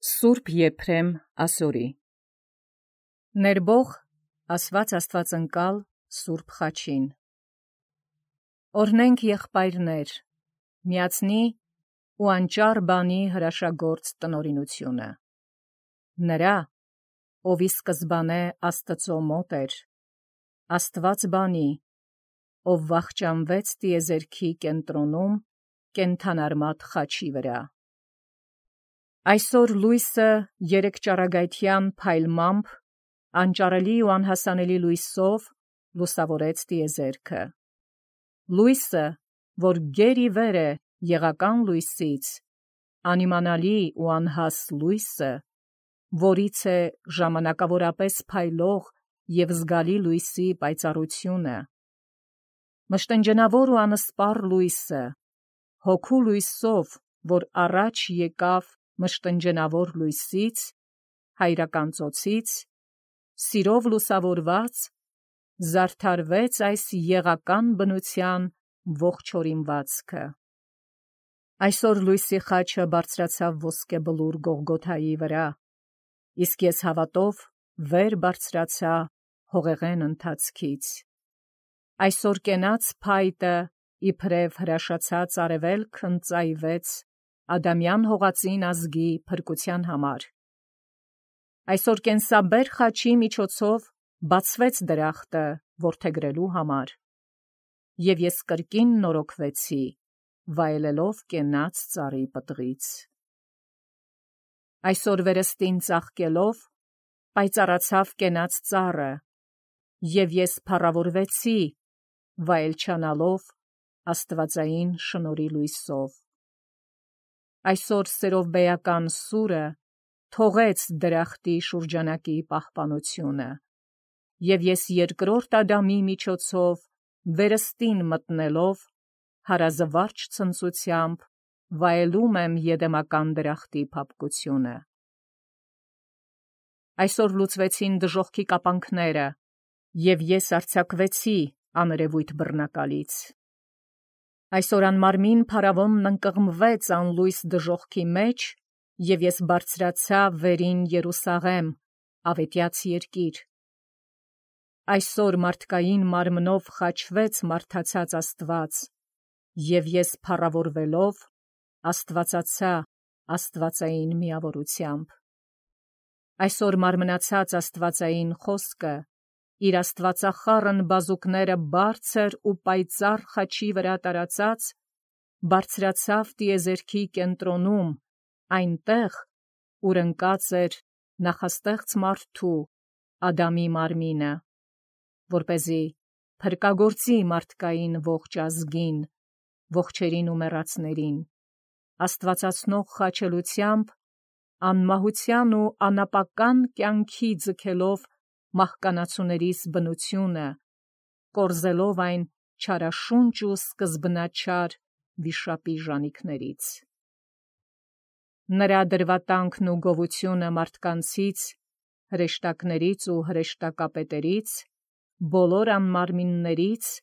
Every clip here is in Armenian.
Սուրբ Եփրեմ ասորի ներբող ասված աստվածընկալ Սուրբ Խաչին օրհնենք եղբայրներ միացնի ու անճար բանի հրաշագործ տնօրինությունը նրա ով ի սկզբանե Աստծո մոտ էր Աստված բանի ով վախճանվեց տիեզերքի կենտրոնում կենդանարմատ խաչի վրա Այսօր լույսը երեք ճառագայթյան փայլմամբ անճարելի ու անհասանելի լույսով լուսավորեց տիեզերքը լույսը որ գերի վեր է եղական լույսից անիմանալի ու անհաս լույսը որից է ժամանակավորապես փայլող և զգալի լույսի պայծառությունը մշտնջենավոր ու անսպառ լույսը հոգու լույսով որ առաջ եկավ մշտնջենավոր լույսից հայրական ծոցից սիրով լուսավորված զարդարվեց այս եղական բնության ողջ օրինվածքը այսօր լույսի խաչը բարձրացավ ոսկե բլուր Գողգոթայի վրա իսկ ես հավատով վեր բարձրացա հողեղեն ընթացքից այսօր կենաց փայտը իբրև հրաշացած արևելքն ծայվեց Ադամյան հողածին ազգի փրկության համար այսօր կենսաբեր խաչի միջոցով բացվեց դրախտը որդեգրելու համար և ես կրկին նորոգվեցի վայելելով կենաց ծառի պտղից այսօր վերստին ծաղկելով պայծառացավ կենաց ծառը և ես փառավորվեցի վայելչանալով աստվածային շնորհի լույսով այսօր սերով բեական սուրը թողեց դրախտի շուրջանակի պահպանությունը և ես երկրորդ Ադամի միջոցով վերստին մտնելով հարազվարճ ցնծությամբ վայելում եմ եդեմական դրախտի փափկությունը այսօր լուծվեցին դժոխքի կապանքները և ես արձակվեցի աներևույթ բռնակալից այսօր անմարմին փարավոնն ընկղմվեց անլույս դժոխքի մեջ և ես բարձրացա վերին Երուսաղեմ ավետյաց երկիր այսօր մարդկային մարմնով խաչվեց մարդացած Աստված և ես փառավորվելով աստվածացա աստվածային միավորությամբ այսօր մարմնացած աստվածային խոսքը իր աստվածախառն բազուկները բարձր ու պայծառ խաչի վրա տարածած բարձրացավ տիեզերքի կենտրոնում այնտեղ ուր ընկած էր նախաստեղծ մարդու Ադամի մարմինը որպեսզի փրկագործի մարդկային ողջ ազգին ողջերին ու մեռածներին աստվածացնող խաչելությամբ անմահության ու անապական կյանքի ձգելով մահկանացուներիս բնությունը կորզելով այն չարաշունչ ու սկզբնաչար վիշապի ժանիքներից նրա դրվատանքն ու գովությունը մարդկանցից հրեշտակներից ու հրեշտակապետերից բոլոր անմարմիններից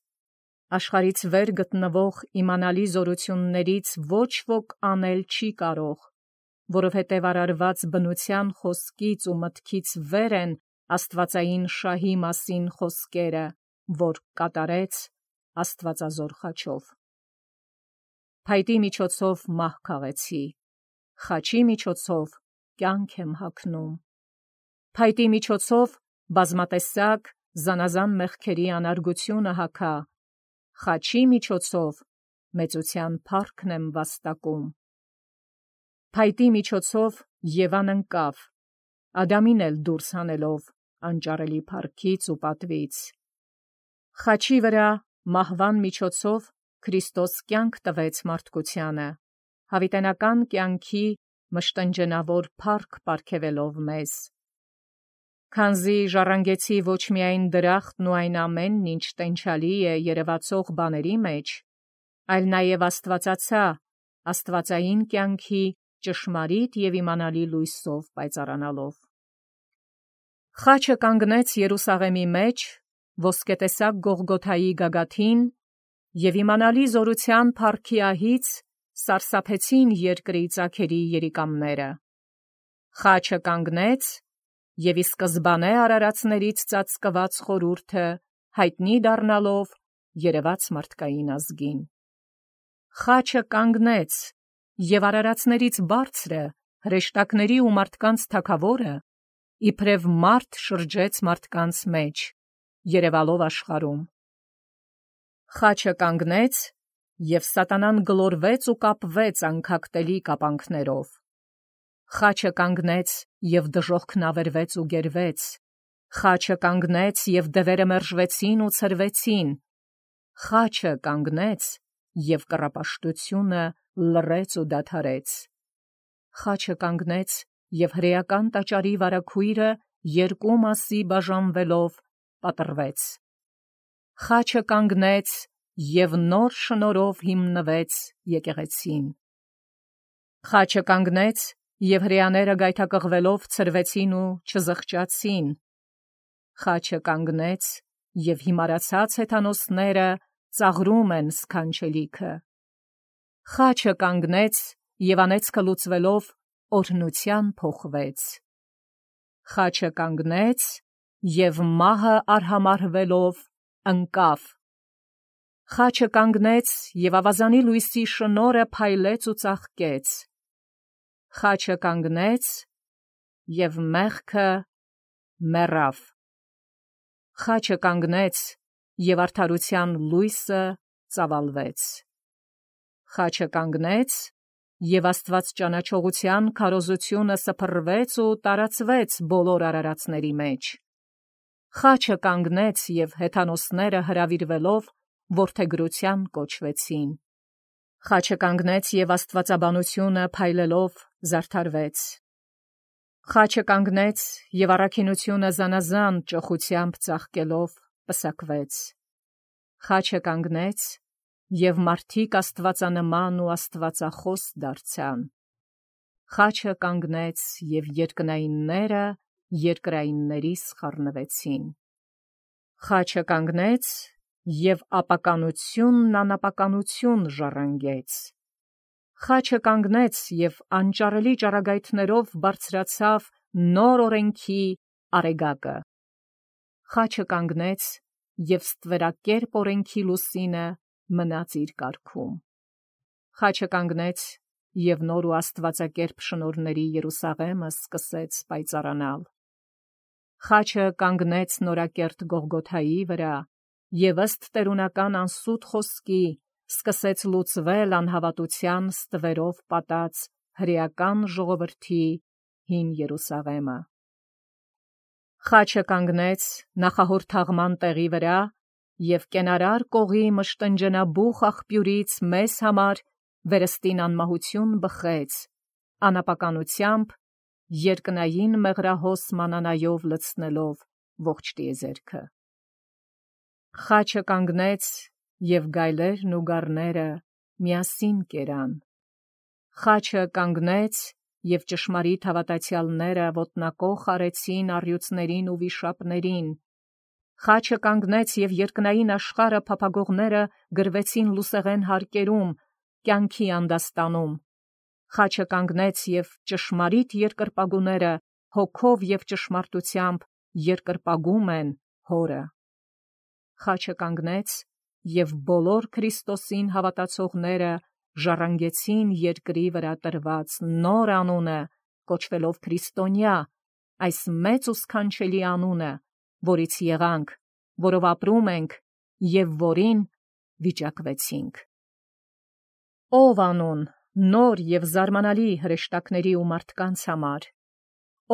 աշխարհից վեր գտնվող իմանալի զորություններից ոչ ոք անել չի կարող որովհետև արարված բնության խոսքից ու մտքից վեր են աստվածային շահի մասին խոսքերը որ կատարեց աստվածազոր խաչով փայտի միջոցով մահ քաղեցի խաչի միջոցով կյանք եմ հագնում փայտի միջոցով բազմատեսակ զանազան մեղքերի անարգությունը հագա խաչի միջոցով մեծության փառքն եմ վաստակում փայտի միջոցով Եվան ընկավ Ադամին էլ դուրս հանելով անճարելի փառքից ու պատվից խաչի վրա մահվան միջոցով Քրիստոս կյանք տվեց մարդկությանը հավիտենական կյանքի մշտնջենավոր փառք պարգևելով մեզ քանզի ժառանգեցի ոչ միայն դրախտն ու այն ամենն ինչ տենչալի է երևացող բաների մեջ այլ նաև աստվածացա աստվածային կյանքի ճշմարիտ և իմանալի լույսով պայծառանալով խաչը կանգնեց Երուսաղեմի մեջ ոսկետեսակ Գողգոթայի գագաթին և իմանալի զորության փառքի ահից սարսափեցին երկրի ծագերի երիկամները Խաչը կանգնեց, և ի սկզբանե արարածներից ծածկված խորհուրդը հայտնի դառնալով երևաց մարդկային ազգին։ Խաչը կանգնեց, և արարածներից բարձրը, հրեշտակների ու մարդկանց թագավորը, իբրև մարդ շրջեց մարդկանց մեջ, երևալով աշխարհում։ Խաչը կանգնեց, և սատանան գլորվեց ու կապվեց անքակտելի կապանքներով։ Խաչը կանգնեց, և դժոխքն ավերվեց ու գերվեց։ Խաչը կանգնեց, և դևերը մերժվեցին ու ցրվեցին։ Խաչը կանգնեց, և կռապաշտությունը լռեց ու դադարեց։ Խաչը կանգնեց, և հրեական տաճարի վարագույրը երկու մասի բաժանվելով պատռվեց։ Խաչը կանգնեց, և նոր շնորհով հիմնվեց եկեղեցին։ Խաչը կանգնեց, և հրեաները գայթակղվելով ցրվեցին ու չզղջացին։ Խաչը կանգնեց, և հիմարացած հեթանոսները ծաղրում են սքանչելիքը։ Խաչը կանգնեց, և անեծքը լուծվելով օրհնության փոխվեց։ Խաչը կանգնեց, և մահը արհամարհվելով ընկավ։ Խաչը կանգնեց, և ավազանի լույսի շնորհը փայլեց ու ծաղկեց։ Խաչը կանգնեց, և մեղքը մեռավ։ Խաչը կանգնեց, և արդարության լույսը ծավալվեց։ Խաչը կանգնեց, և աստվածճանաչողության քարոզությունը սփռվեց ու տարածվեց բոլոր արարածների մեջ։ Խաչը կանգնեց, և հեթանոսները հրավիրվելով որդեգրության կոչվեցին։ Խաչը կանգնեց, և աստվածաբանությունը փայլելով զարդարվեց։ Խաչը կանգնեց, և առաքինությունը զանազան ճոխությամբ ծաղկելով պսակվեց։ Խաչը կանգնեց, և մարդիկ աստվածանման ու աստվածախոս դարձան։ Խաչը կանգնեց, և երկնայինները երկրայիններիս խառնվեցին։ Խաչը կանգնեց, և ապականությունն անապականություն ժառանգեց։ Խաչը կանգնեց, և անճարելի ճառագայթներով բարձրացավ նոր օրենքի արեգակը։ Խաչը կանգնեց, և ստվերակերպ օրենքի լուսինը մնաց իր կարգում։ Խաչը կանգնեց, և նոր ու աստվածակերպ շնորհների Երուսաղեմը սկսեց պայծառանալ։ Խաչը կանգնեց նորակերտ Գողգոթայի վրա, և ըստ տերունական անսուտ խոսքի սկսեց լուծվել անհավատության ստվերով պատած հրեական ժողովրդի հին Երուսաղեմը։ Խաչը կանգնեց նախահոր թաղման տեղի վրա, և կենարար կողի մշտնջենաբուխ աղբյուրից մեզ համար վերստին անմահություն բխեց, անապականությամբ երկնային մեղրահոս մանանայով լցնելով ողջ տիեզերքը։ Խաչը կանգնեց, և գայլերն ու գառները միասին կերան։ Խաչը կանգնեց, և ճշմարիտ հավատացյալները ոտնակոխ արեցին առյուծներին ու վիշապներին։ Խաչը կանգնեց, և երկնային աշխարհը փափագողները գրվեցին լուսեղեն հարկերում, կյանքի անդաստանում։ Խաչը կանգնեց, և ճշմարիտ երկրպագուները հոգով և ճշմարտությամբ երկրպագում են Հորը։ Խաչը կանգնեց, և բոլոր Քրիստոսին հավատացողները ժառանգեցին երկրի վրա տրված նոր անունը, կոչվելով քրիստոնյա, այս մեծ ու սքանչելի անունը, որից եղանք, որով ապրում ենք և որին վիճակվեցինք։ Ո՞վ անուն, նոր և զարմանալի հրեշտակների ու մարդկանց համար։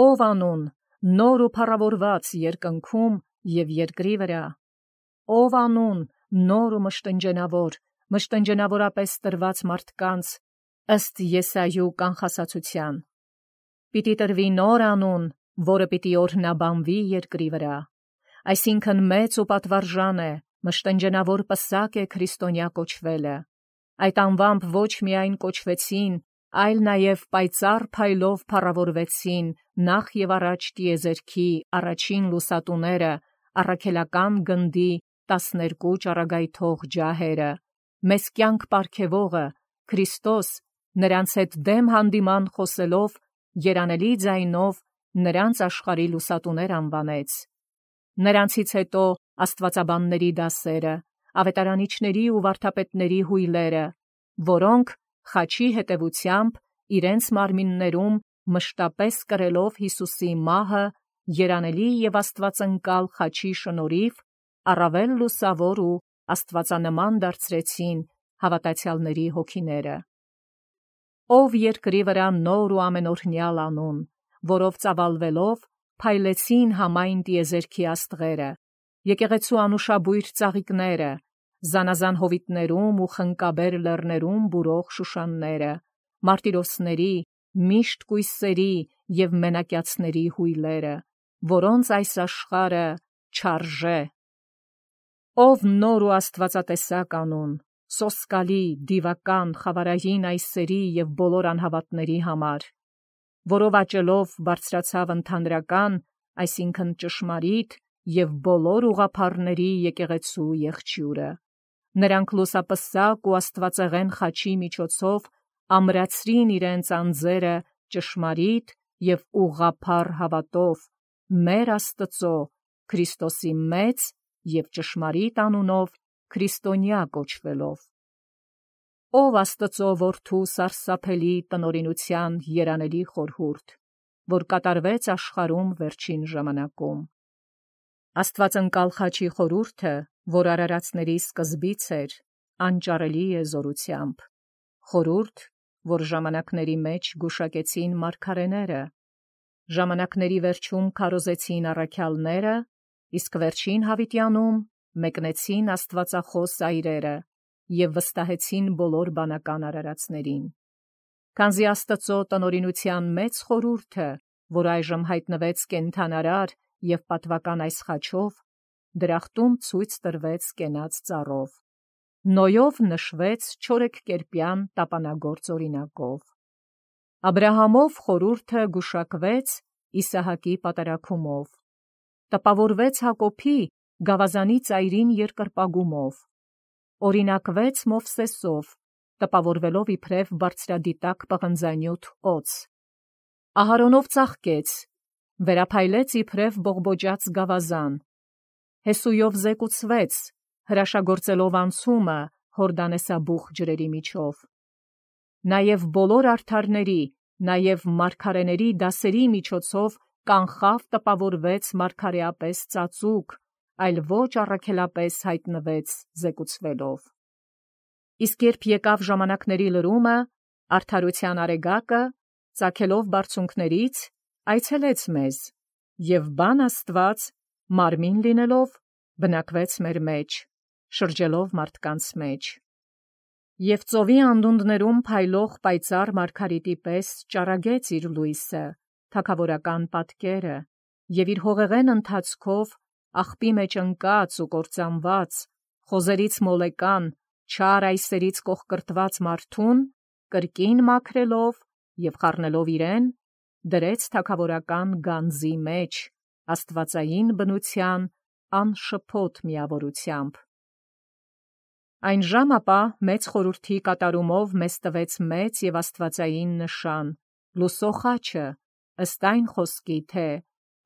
Ո՞վ անուն, նոր ու փառավորված երկնքում և երկրի վրա։ Ո՞վ անուն, նոր ու մշտնջենավորապես տրված մարդկանց ըստ Եսայու կանխասացության։ Պիտի տրվի նոր անուն, որը պիտի օրհնաբանվի երկրի վրա։ Այսինքն մեծ ու պատվարժան է, մշտնջենավոր պսակ է քրիստոնյա կոչվելը։ Այդ անվամբ ոչ միայն կոչվեցին, այլ նաև պայծառ փայլով փառավորվեցին նախ և առաջ տիեզերքի առաջին լուսատուները, առաքելական գնդի 12 ճառագայթող ջահերը, մեզ կյանք պարգևողը, Քրիստոս, նրանց հետ դեմ հանդիման խոսելով երանելի ձայնով նրանց աշխարհի լուսատուներ անվանեց։ Նրանցից հետո աստվածաբանների դասերը, ավետարանիչների ու վարդապետների հույլերը, որոնք խաչի հետևությամբ իրենց մարմիններում մշտապես կրելով Հիսուսի մահը, երանելի և աստվածընկալ խաչի շնորհիվ առավել լուսավոր ու աստվածանման դարձրեցին հավատացյալների հոգիները։ Ով երկրի վրա նոր ու ամենօրհնյալ անուն, որով ծավալվելով փայլեցին համայն տիեզերքի աստղերը, եկեղեցու անուշաբույր ծաղիկները, զանազան հովիտներում ու խնկաբեր լեռներում բուրող շուշանները, մարտիրոսների, միշտ կույսերի և մենակյացների հույլերը, որոնց այս աշխարհը չարժե։ Ով նոր ու աստվածատեսակ անուն, սոսկալի, դիվական, խավարային այս սերի և բոլոր անհավատների համար, որով աճելով բարձրացավ ընդհանրական, այսինքն ճշմարիտ և բոլոր ուղղափառների եկեղեցու եղջյուրը։ Նրանք լուսապսակ ու աստվածեղեն խաչի միջոցով ամրացրին իրենց անձերը ճշմարիտ և ուղղափառ հավատով մեր Աստծո Քրիստոսի մեծ և ճշմարիտ անունով քրիստոնյա կոչվելով։ Ով Աստծո որդու սարսափելի տնօրինության երանելի խորհուրդ, որ կատարվեց աշխարհում վերջին ժամանակում։ Աստվածընկալ խաչի խորհուրդը, որ արարածների սկզբից էր, անճարելի է զորությամբ, խորհուրդ, որ ժամանակների մեջ գուշակեցին մարգարեները, ժամանակների վերջում քարոզեցին առաքյալները, իսկ վերջին հավիտյանում մեկնեցին աստվածախոս այրերը և վստահեցին բոլոր բանական արարածներին։ Քանզի Աստծո տնօրինության մեծ խորհուրդը, որ այժմ հայտնվեց կենդանարար և պատվական այս խաչով, դրախտում ցույց տրվեց կենաց ծառով, Նոյով նշվեց չորեքկերպյան տապանագործ օրինակով։ Աբրահամով խորհուրդը գուշակվեց Իսահակի պատարագումով, տպավորվեց Հակոբի գավազանի ծայրին երկրպագումով, օրինակվեց Մովսեսով, տպավորվելով իբրև բարձրադիտակ պղնձանյութ օձ, Ահարոնով ծաղկեց, վերափայլեց իբրև բողբոջած գավազան, Հեսույով զեկուցվեց, հրաշագործելով անցումը Հորդանեսաբուխ ջրերի միջով, նաև բոլոր արդարների, նաև մարգարեների դասերի միջոցով կանխավ տպավորվեց մարգարեապես ծածուկ, այլ ոչ առաքելապես հայտնվեց զեկուցվելով։ Իսկ երբ եկավ ժամանակների լրումը, արդարության արեգակը, ծագելով բարձունքներից, այցելեց մեզ, և բան Աստված, մարմին լինելով, բնակվեց մեր մեջ, շրջելով մարդկանց մեջ։ Եվ ծովի անդունդներում փայլող պայծառ մարգարիտի պես ճառագեց իր լույսը, թագավորական պատկերը, և իր հողեղեն ընթացքով աղբի մեջ ընկած ու կործանված, խոզերից մոլեկան, չար այսերից կոխկրտված մարդուն, կրկին մաքրելով և խառնելով իրեն, դրեց թագավորական գանձի մեջ, աստվածային բնության անշփոթ միավորությամբ։ Այն ժամ ապա մեծ խորհրդի կատարումով մեզ տվեց մեծ և աստվածային նշան, լուսո խաչը, ըստ այն խոսքի, թե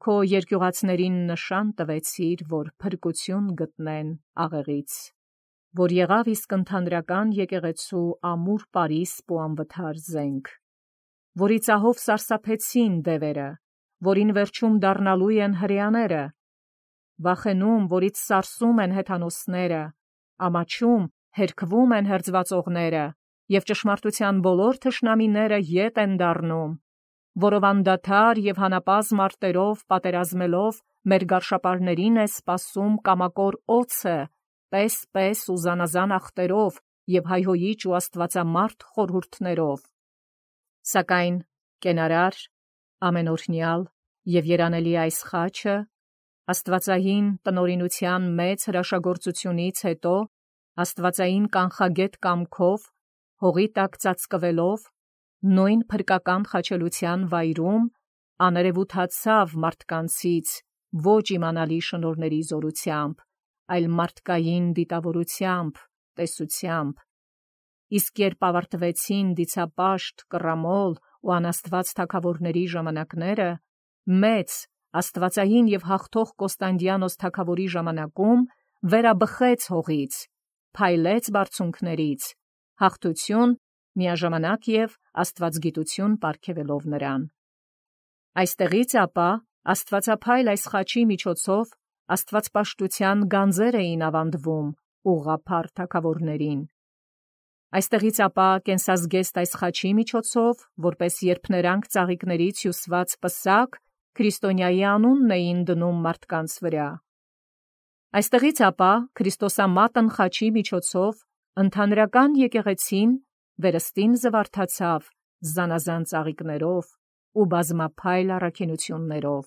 «Քո երկյուղածներին նշան տվեցիր, որ փրկություն գտնեն աղեղից», որ եղավ իսկ ընդհանրական եկեղեցու ամուր պարիսպ ու անվթար զենք, որի ծահով սարսափեցին դևերը, որին վերջում դառնալու են հրեաները, վախենում, որից սարսում են հեթանոսները, ամաչում, հերքվում են հերձվածողները, և ճշմարտության բոլոր թշնամիները ետ են դառնում, որով անդադար և հանապազմ արտերով պատերազմելով մեր գարշապարներին է սպասում կամակոր օձը, պես ու զանազան ախտերով և հայհոյիչ ու աստվածամարդ խորհուրդներով։ Սակայն կենարար, ամենօրհնյալ և երանելի այս խաչը, աստվածային տնօրինության մեծ հրաշագործությունից հետո, աստվածային կանխագետ կամքով, հողի տակ ծածկվելով, նույն փրկական խաչելության վայրում, աներևութացավ մարդկանցից ոչ իմանալի շնորհների զորությամբ, այլ մարդկային դիտավորությամբ, տեսությամբ։ Իսկ երբ ավարտվեցին դիցապաշտ, կռամոլ ու անաստված թագավորների ժամանակները, մեծ աստվածային եւ հաղթող Կոստանդիանոս թագավորի ժամանակում վերաբխեց հողից, փայլեց բարձունքներից, հաղթություն միաժամանակ եւ աստվածգիտություն պարգևելով նրան։ Այստեղից ապա աստվածափայլ այս խաչի միջոցով աստվածպաշտության գանձեր էին ավանդվում ուղղափառ թագավորներին։ Այստեղից ապա կենսազգեստ այս խաչի միջոցով, որպես երբ նրանք ծաղիկներից հյուսված պսակ, քրիստոնյայի անունն էին դնում մարդկանց վրա։ Այստեղից ապա Քրիստոսամատն խաչի միջոցով ընդհանրական եկեղեցին վերստին զվարթացավ զանազան ծաղիկներով ու բազմափայլ առաքինություններով։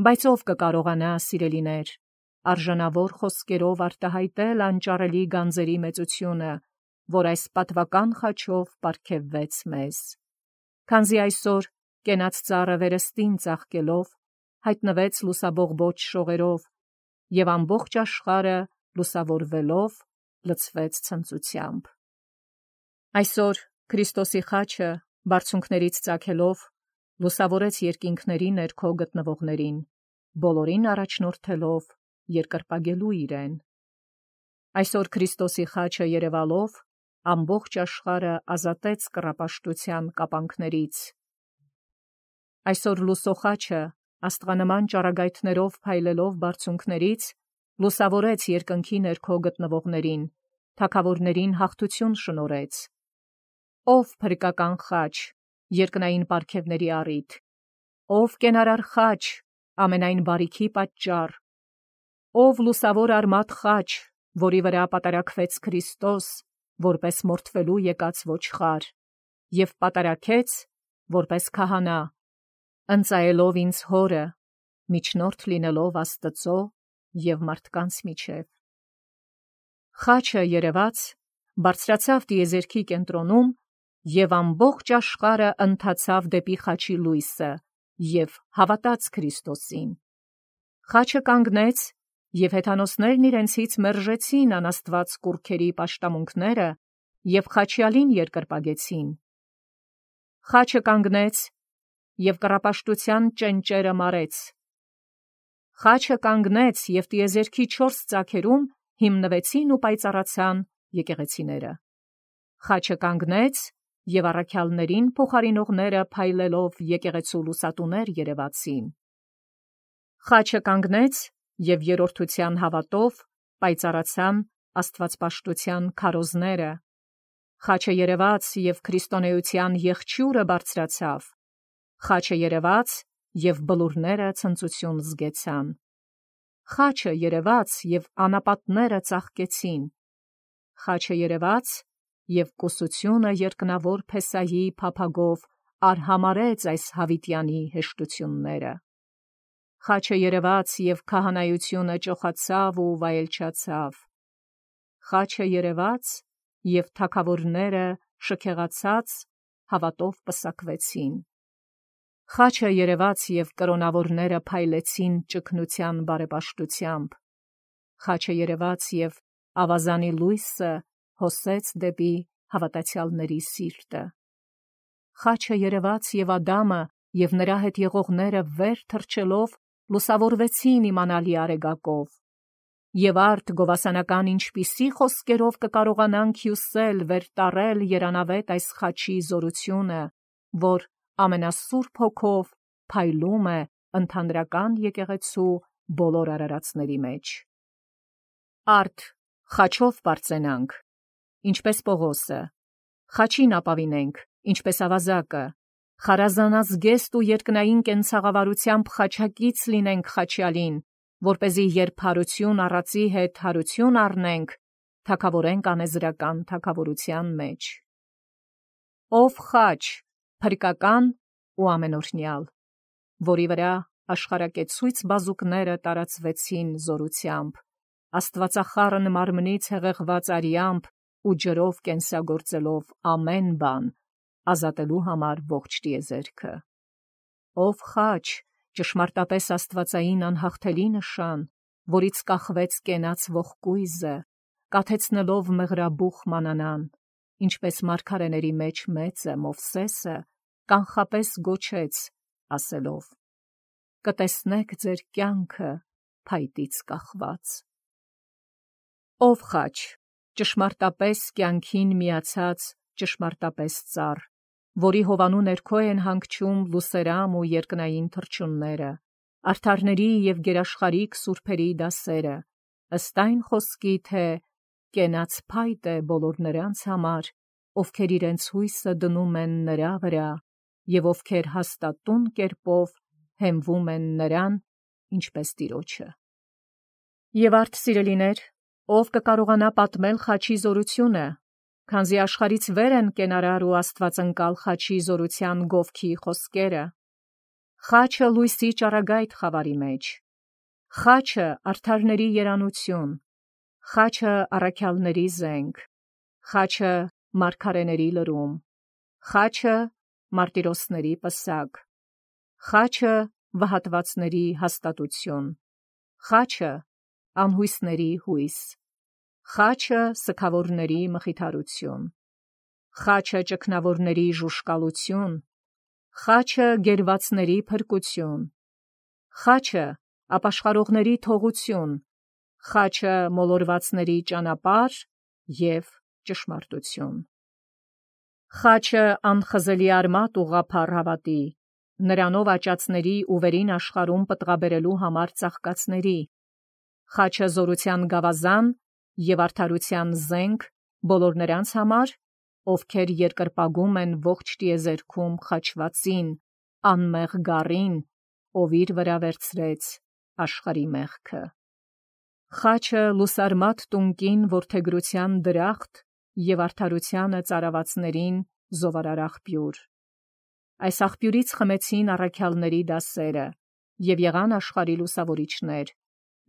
Բայց ով կկարողանա, սիրելիներ, արժանավոր խոսքերով արտահայտել անճարելի գանձերի մեծությունը, որ այս պատվական խաչով պարգևվեց մեզ։ Քանզի այսօր կենաց ծառը վերստին ծաղկելով հայտնվեց լուսաբողբոջ շողերով, եւ ամբողջ աշխարհը լուսավորվելով լցվեց ցնծությամբ։ Այսօր Քրիստոսի խաչը բարձունքներից ծագելով լուսավորեց երկինքների ներքո գտնվողներին, բոլորին առաջնորդելով երկրպագելու իրեն։ Այսօր Քրիստոսի խաչը երևալով ամբողջ աշխարհը ազատեց կռապաշտության կապանքներից։ Այսօր լուսոխաչը աստղանման ճառագայթներով փայլելով բարձունքներից լուսավորեց երկնքի ներքո գտնվողներին, թագավորներին հաղթություն շնորհեց։ Ով փրկական խաչ, երկնային պարգևների առիթ, ով կենարար խաչ, ամենայն բարիքի պատճառ, ով լուսավոր արմատ խաչ, որի վրա պատարակվեց Քրիստոս, որպես մորթվելու եկած ոչխար, եւ պատարակեց, որպես քահանա, ընծայելով ինձ հորը, միջնորդ լինելով Աստծո եւ մարդկանց միջև։ Խաչը երևաց, բարձրացավ տիեզերքի կենտրոնում եւ ամբողջ աշխարհը ընթացավ դեպի խաչի լույսը եւ հավատաց Քրիստոսին։ Խաչը կանգնեց եւ հեթանոսներն իրենցից մերժեցին անաստված կուռքերի պաշտամունքները եւ խաչյալին երկրպագեցին։ Խաչը կանգնեց եւ կռապաշտության ճենճերը մարեց։ Խաչը կանգնեց եւ տիեզերքի 4 ծագերում հիմնվեցին ու պայծառացան եկեղեցիները։ Խաչը կանգնեց եւ առաքյալներին փոխարինողները փայլելով եկեղեցու լուսատուներ երևացին։ Խաչը կանգնեց եւ երրորդության հավատով պայծառացան աստվածպաշտության քարոզները։ Խաչը երևաց եւ քրիստոնեության եղջյուրը բարձրացավ։ Խաչը երևաց եւ բլուրները ցնծություն զգեցան։ Խաչը երևաց եւ անապատները ծաղկեցին։ Խաչը երևաց եւ կուսությունը երկնավոր Փեսայի փափագով արհամարեց այս հավիտյանի հեշտությունները։ Խաչը երևաց եւ քահանայությունը ճոխացավ ու վայելչացավ։ Խաչը երևաց եւ թագավորները շքեղացած հավատով պսակվեցին։ Խաչը երևաց եւ կրոնավորները փայլեցին ճգնության բարեպաշտությամբ։ Խաչը երևաց եւ ավազանի լույսը հոսեց դեպի հավատացյալների սիրտը։ Խաչը երևաց եւ Ադամը եւ նրա հետ եղողները վեր թռչելով լուսավորվեցին իմանալի արեգակով։ Եվ արդ գովասանական ինչպիսի խոսքերով կկարողանանք հյուսել վերտարել երանավետ այս խաչի զորությունը, որ ամենասուրբ հոգով փայլում է ընդհանրական եկեղեցու բոլոր արարածների մեջ։ Արդ խաչով պարծենանք, ինչպես Պողոսը, խաչին ապավինենք, ինչպես ավազակը, խարազանազգեստ ու երկնային կենցաղավարությամբ խաչակից լինենք խաչյալին, որպեսզի երբ հարություն առածի հետ հարություն առնենք, թագավորենք անեզրական թագավորության մեջ։ Ով խաչ, փրկական ու ամենօրհնյալ, որի վրա աշխարհակեցույց բազուկները տարածվեցին զորությամբ, աստվածախառն մարմնից հեղեղված արյամբ ու ջրով կենսագործելով ամեն բան, ազատելու համար ողջ տիեզերքը։ Ով խաչ, ճշմարտապես աստվածային անհաղթելի նշան, որից կախվեց կենաց ողկույզը, կաթեցնելով մեղրաբուխ մանանան, ինչպես մարգարեների մեջ մեծը Մովսեսը, կանխապես գոչեց, ասելով. «Կտեսնեք ձեր կյանքը փայտից կախված»։ Ով խաչ, ճշմարտապես կյանքին միացած ճշմարտապես ծառ, որի հովանու ներքո են հանգչում լուսերամ ու երկնային թռչունները, արդարների և գերաշխարհիկ սուրբերի դասերը, ըստ այն խոսքի, թե կենաց փայտ է բոլոր նրանց համար, ովքեր իրենց հույսը դնում են նրա վրա, և ովքեր հաստատուն կերպով հենվում են նրան, ինչպես Տիրոջը։ Եվ արդ սիրելիներ, ով կկարողանա պատմել խաչի զորությունը, քանզի աշխարհից վեր են կենարար ու աստվածընկալ խաչի զորության գովքի խոսքերը։ Խաչը լույսի ճառագայթ խավարի մեջ, խաչը արդարների երանություն, խաչը առաքյալների զենք, խաչը մարգարեների լրում, խաչը մարտիրոսների պսակ, խաչը վհատվածների հաստատություն, խաչը անհույսների հույս, խաչը սգավորների մխիթարություն, խաչը ճգնավորների ժուշկալություն, խաչը գերվածների փրկություն, խաչը ապաշխարողների թողություն, խաչը մոլորվածների ճանապարհ և ճշմարտություն, խաչը անխզելի արմատ ուղղափառ հավատի, նրանով աճածների ու վերին աշխարհում պտղաբերելու համար ծաղկածների, խաչը զորության գավազան և արդարության զենք բոլոր նրանց համար, ովքեր երկրպագում են ողջ տիեզերքում խաչվածին, անմեղ գառին, ով իր վրա վերցրեց աշխարհի մեղքը, խաչը լուսարմատ տունկին որդեգրության դրախտ և արդարությանը ծարավացներին զովարար աղբյուր։ Այս աղբյուրից խմեցին առաքյալների դասերը և եղան աշխարհի լուսավորիչներ,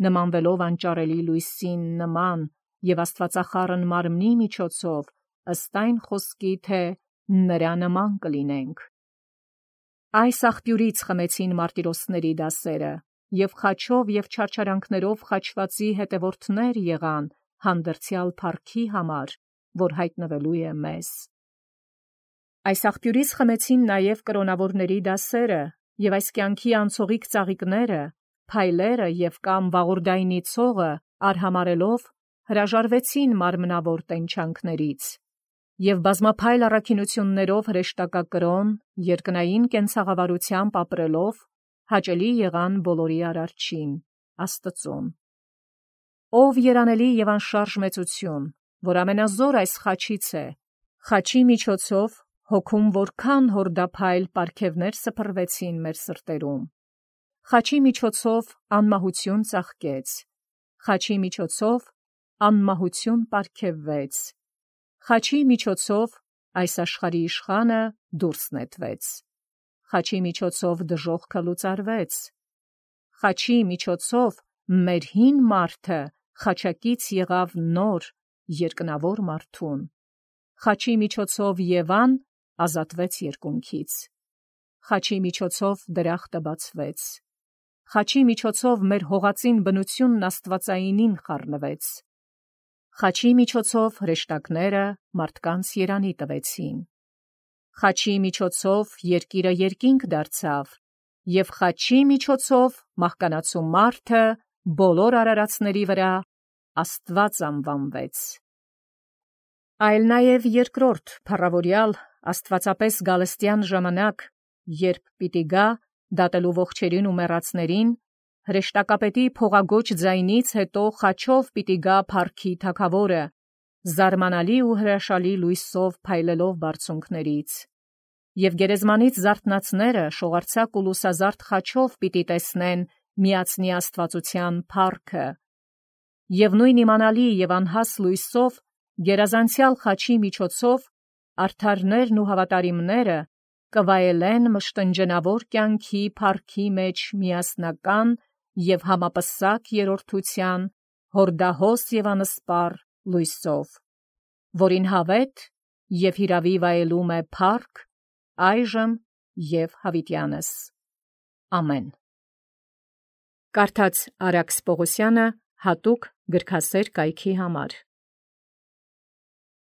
նմանվելով անճարելի լույսին նման և աստվածախառն մարմնի միջոցով, ըստ այն խոսքի, թե նրա նման կլինենք։ Այս աղբյուրից խմեցին մարտիրոսների դասերը և խաչով և չարչարանքներով խաչվածի հետևորդներ եղան հանդերձյալ փառքի համար, որ հայտնվելու է մեզ։ Այս աղբյուրից խմեցին նաև կրոնավորների դասերը և այս կյանքի անցողիկ ծաղիկները, փայլերը և կամ վաղորդայնի ցողը արհամարելով հրաժարվեցին մարմնավոր տենչանքներից և բազմափայլ առաքինություններով հրեշտակակրոն, երկնային կենցաղավարությամբ ապրելով, հաճելի եղան բոլորի Արարչին, Աստծուն։ Ով երանելի և անշարժ մեծություն, որ ամենազոր այս խաչից է, խաչի միջոցով հոգում որքան հորդափայլ պարգևներ սփռվեցին մեր սրտերում, խաչի միջոցով անմահություն ծաղկեց, խաչի միջոցով անմահություն պարգևվեց, խաչի միջոցով այս աշխարհի իշխանը դուրս նետվեց, խաչի միջոցով դժոխքը լուծարվեց, խաչի միջոցով մեր հին մարդը խաչակից եղավ նոր, երկնավոր մարդուն, խաչի միջոցով Եվան ազատվեց երկունքից, խաչի միջոցով դրախտը բացվեց, խաչի միջոցով մեր հողածին բնությունն աստվածայինին խառնվեց, խաչի միջոցով հրեշտակները մարդկանց երանի տվեցին, խաչի միջոցով երկիրը երկինք դարձավ, և խաչի միջոցով մահկանացու մարդը բոլոր արարածների վրա Աստված անվանվեց։ Այլ նաև երկրորդ փառավորյալ աստվածապես գալստյան ժամանակ, երբ պիտի գա դատելու ողջերին ու մեռածներին, հրեշտակապետի փողագոչ ձայնից հետո խաչով պիտի գա փառքի թագավորը, զարմանալի ու հրաշալի լույսով փայլելով բարձունքներից, և գերեզմանից զարթնածները շողարցակ ու լուսազարդ խաչով պիտի տեսնեն միածնի աստվածության փառքը, և նույն իմանալի և անհաս լույսով գերազանցյալ խաչի միջոցով արդարներն ու հավատարիմները կվայելեն մշտնջենավոր կյանքի փառքի մեջ միասնական և համապսակ երրորդության հորդահոս և անսպառ լույսով, որին հավետ և հիրավի վայելում է փառք այժմ և հավիտյանս։ Ամեն։ Կարդաց Արաքս Պողոսյանը հատուկ գրքասեր կայքի համար։